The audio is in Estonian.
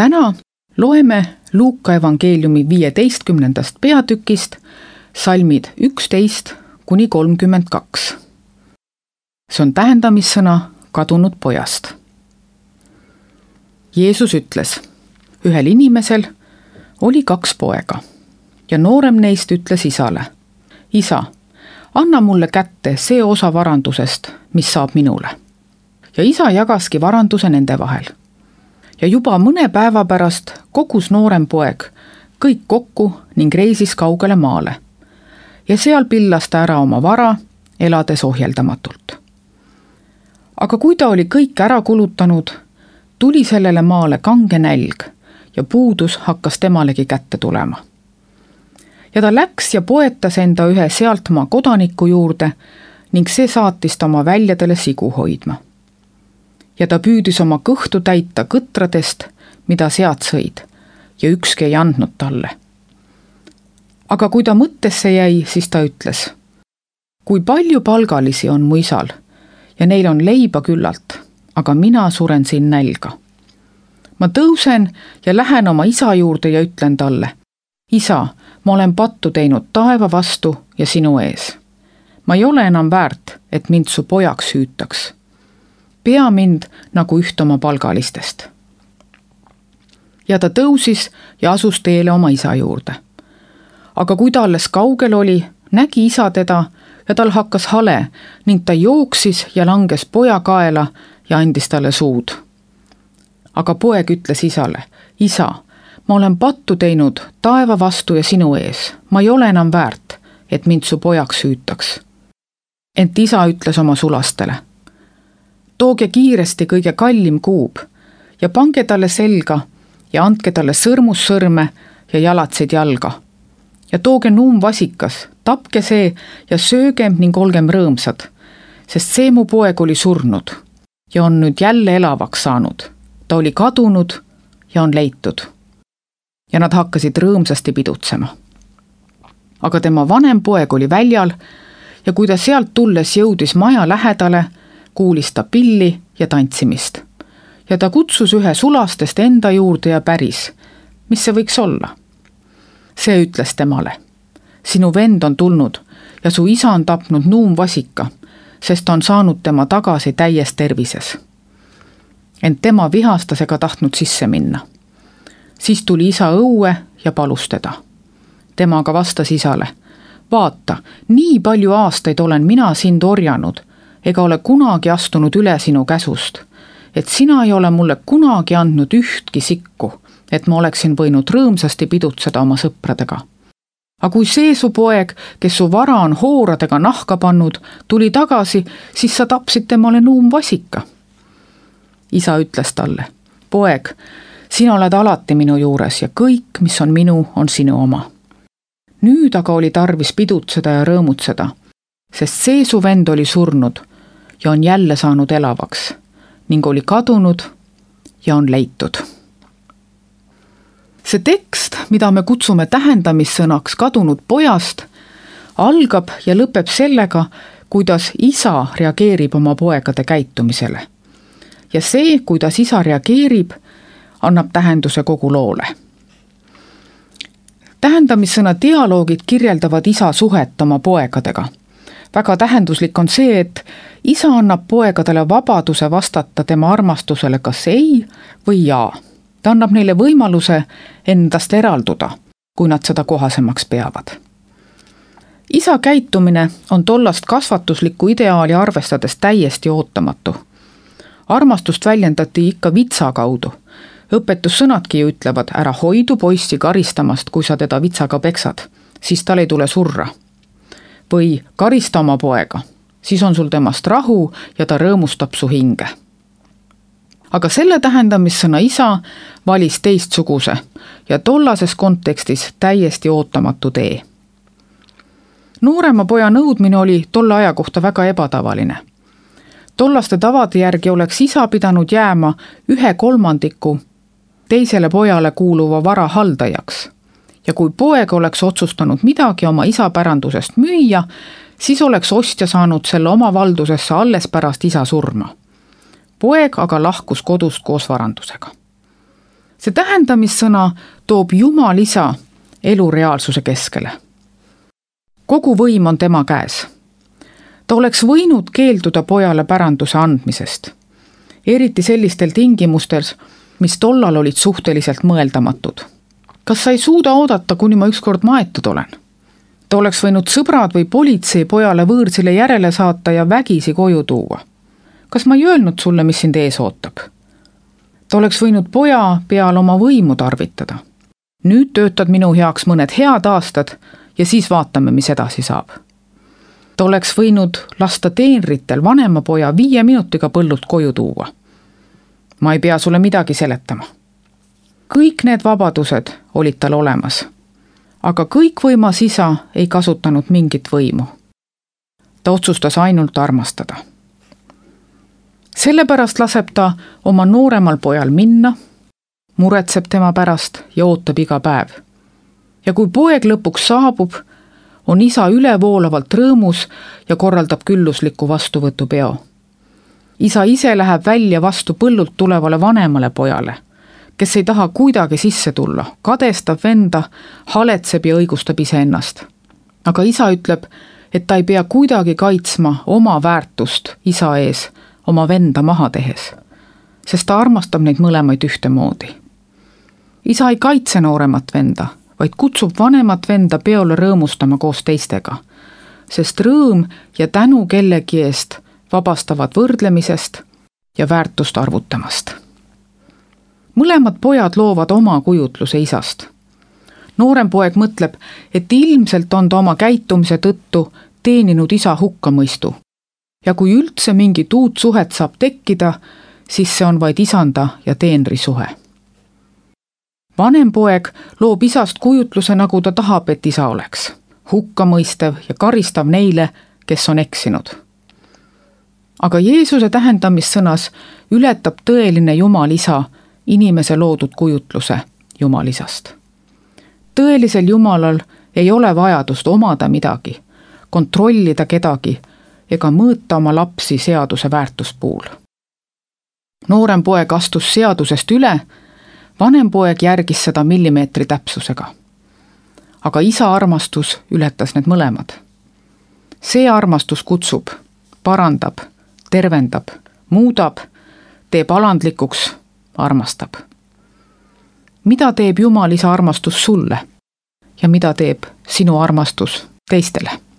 täna loeme Luuka evangeeliumi 15. peatükist salmid 11 kuni 32. See on tähendamissõna kadunud pojast. Jeesus ütles, ühel inimesel oli 2 poega ja noorem neist ütles isale, isa, anna mulle kätte see osa varandusest, mis saab minule. Ja isa jagaski varanduse nende vahel. Ja juba mõne päeva pärast kogus noorem poeg kõik kokku ning reisis kaugele maale. Ja seal pillas ta ära oma vara, elades ohjeldamatult. Aga kui ta oli kõik ära kulutanud, tuli sellele maale kange nälg ja puudus hakkas temalegi kätte tulema. Ja ta läks ja poetas enda ühe sealtmaa kodaniku juurde ning see saatis ta oma väljadele sigu hoidma. Ja ta püüdis oma kõhtu täita kõtradest, mida sead sõid, ja ükski ei andnud talle. Aga kui ta mõttesse jäi, siis ta ütles, kui palju palgalisi on mu isal ja neil on leiba küllalt, aga mina suren siin nälga. Ma tõusen ja lähen oma isa juurde ja ütlen talle, isa, ma olen pattu teinud taeva vastu ja sinu ees. Ma ei ole enam väärt, et mind su pojaks hüütaks. Pea mind nagu üht oma palgalistest. Ja ta tõusis ja asus teele oma isa juurde. Aga kui ta alles kaugel oli, nägi isa teda ja tal hakkas hale ning ta jooksis ja langes poja kaela ja andis talle suud. Aga poeg ütles isale, isa, ma olen pattu teinud taeva vastu ja sinu ees. Ma ei ole enam väärt, et mind su pojaks hüütaks. Ent isa ütles oma sulastele, tooge kiiresti kõige kallim kuub ja pange talle selga ja andke talle sõrmussõrme ja jalatseid jalga. Ja tooge nuumvasikas, tapke see ja söögem ning olgem rõõmsad, sest see mu poeg oli surnud ja on nüüd jälle elavaks saanud. Ta oli kadunud ja on leitud. Ja nad hakkasid rõõmsasti pidutsema. Aga tema vanem poeg oli väljal ja kui ta sealt tulles jõudis maja lähedale, kuulis ta pilli ja tantsimist. Ja ta kutsus ühe sulastest enda juurde ja päris, mis see võiks olla. See ütles temale, sinu vend on tulnud ja su isa on tapnud nuumvasika, sest on saanud tema tagasi täies tervises. Ent tema vihastas ega tahtnud sisse minna. Siis tuli isa õue ja palus teda. Tema aga vastas isale, vaata, nii palju aastaid olen mina sind orjanud, ega ole kunagi astunud üle sinu käsust, et sina ei ole mulle kunagi andnud ühtki sikku, et ma oleksin võinud rõõmsasti pidutseda oma sõpradega. Aga kui see su poeg, kes su vara on hooradega nahka pannud, tuli tagasi, siis sa tapsid temale nuumvasika. Isa ütles talle, poeg, sina oled alati minu juures ja kõik, mis on minu, on sinu oma. Nüüd aga oli tarvis pidutseda ja rõõmutseda, sest see su vend oli surnud ja on jälle saanud elavaks ning oli kadunud ja on leitud. See tekst, mida me kutsume tähendamissõnaks kadunud pojast, algab ja lõpeb sellega, kuidas isa reageerib oma poegade käitumisele. Ja see, kuidas isa reageerib, annab tähenduse kogu loole. Tähendamissõna dialoogid kirjeldavad isa suhet oma poegadega. Väga tähenduslik on see, et isa annab poegadele vabaduse vastata tema armastusele kas ei või jaa. Ta annab neile võimaluse endast eralduda, kui nad seda kohasemaks peavad. Isa käitumine on tollast kasvatuslikku ideaali arvestades täiesti ootamatu. Armastust väljendati ikka vitsa kaudu. Õpetussõnadki ütlevad, ära hoidu poissi karistamast, kui sa teda vitsaga peksad, siis tal ei tule surra. Või karista oma poega, siis on sul temast rahu ja ta rõõmustab su hinge. Aga selle tähendamissõna isa valis teistsuguse ja tollases kontekstis täiesti ootamatu tee. Noorema poja nõudmine oli tolle aja kohta väga ebatavaline. Tollaste tavade järgi oleks isa pidanud jääma 1/3 teisele pojale kuuluva vara haldajaks. Ja kui poeg oleks otsustanud midagi oma isa pärandusest müüa, siis oleks ostja saanud selle oma valdusesse alles pärast isa surma. Poeg aga lahkus kodust koos varandusega. See tähendamissõna toob Jumal Isa elu reaalsuse keskele. Kogu võim on tema käes. Ta oleks võinud keelduda pojale päranduse andmisest, eriti sellistel tingimustel, mis tollal olid suhteliselt mõeldamatud. Kas sa ei suuda oodata, kuni ma ükskord maetud olen? Ta oleks võinud sõbrad või politsei pojale võõrsile järele saata ja vägisi koju tuua. Kas ma ei öelnud sulle, mis sind ees ootab? Ta oleks võinud poja peal oma võimu tarvitada. Nüüd töötad minu heaks mõned head aastad ja siis vaatame, mis edasi saab. Ta oleks võinud lasta teenritel vanema poja 5 minutiga põllult koju tuua. Ma ei pea sulle midagi seletama. Kõik need vabadused olid tal olemas, aga kõikvõimas Isa ei kasutanud mingit võimu. Ta otsustas ainult armastada. Sellepärast laseb ta oma nooremal pojal minna, muretseb tema pärast ja ootab iga päev. Ja kui poeg lõpuks saabub, on Isa ülevoolavalt rõõmus ja korraldab küllusliku vastuvõtupeo. Isa ise läheb välja vastu põllult tulevale vanemale pojale, kes ei taha kuidagi sisse tulla, kadestab venda, haletseb ja õigustab iseennast. Aga Isa ütleb, et ta ei pea kuidagi kaitsma oma väärtust Isa ees, oma venda maha tehes, sest ta armastab neid mõlemaid ühtemoodi. Isa ei kaitse nooremat venda, vaid kutsub vanemat venda peole rõõmustama koos teistega, sest rõõm ja tänu kellegi eest vabastavad võrdlemisest ja väärtust arvutamast. Mõlemad pojad loovad oma kujutluse Isast. Noorem poeg mõtleb, et ilmselt on ta oma käitumise tõttu teeninud Isa hukkamõistu. Ja kui üldse mingit uut suhet saab tekkida, siis see on vaid isanda ja teenri suhe. Vanem poeg loob Isast kujutluse, nagu ta tahab, et Isa oleks. Hukkamõistev ja karistav neile, kes on eksinud. Aga Jeesuse tähendamissõnas ületab tõeline Jumal Isa inimese loodud kujutluse Jumal Isast. Tõelisel Jumalal ei ole vajadust omada midagi, kontrollida kedagi ega mõõta oma lapsi seaduse väärtuspuul. Noorem poeg astus seadusest üle, vanem poeg järgis seda millimeetri täpsusega. Aga Isa armastus ületas need mõlemad. See armastus kutsub, parandab, tervendab, muudab, teeb alandlikuks, armastab. Mida teeb Jumal Isa armastus sulle ja mida teeb sinu armastus teistele?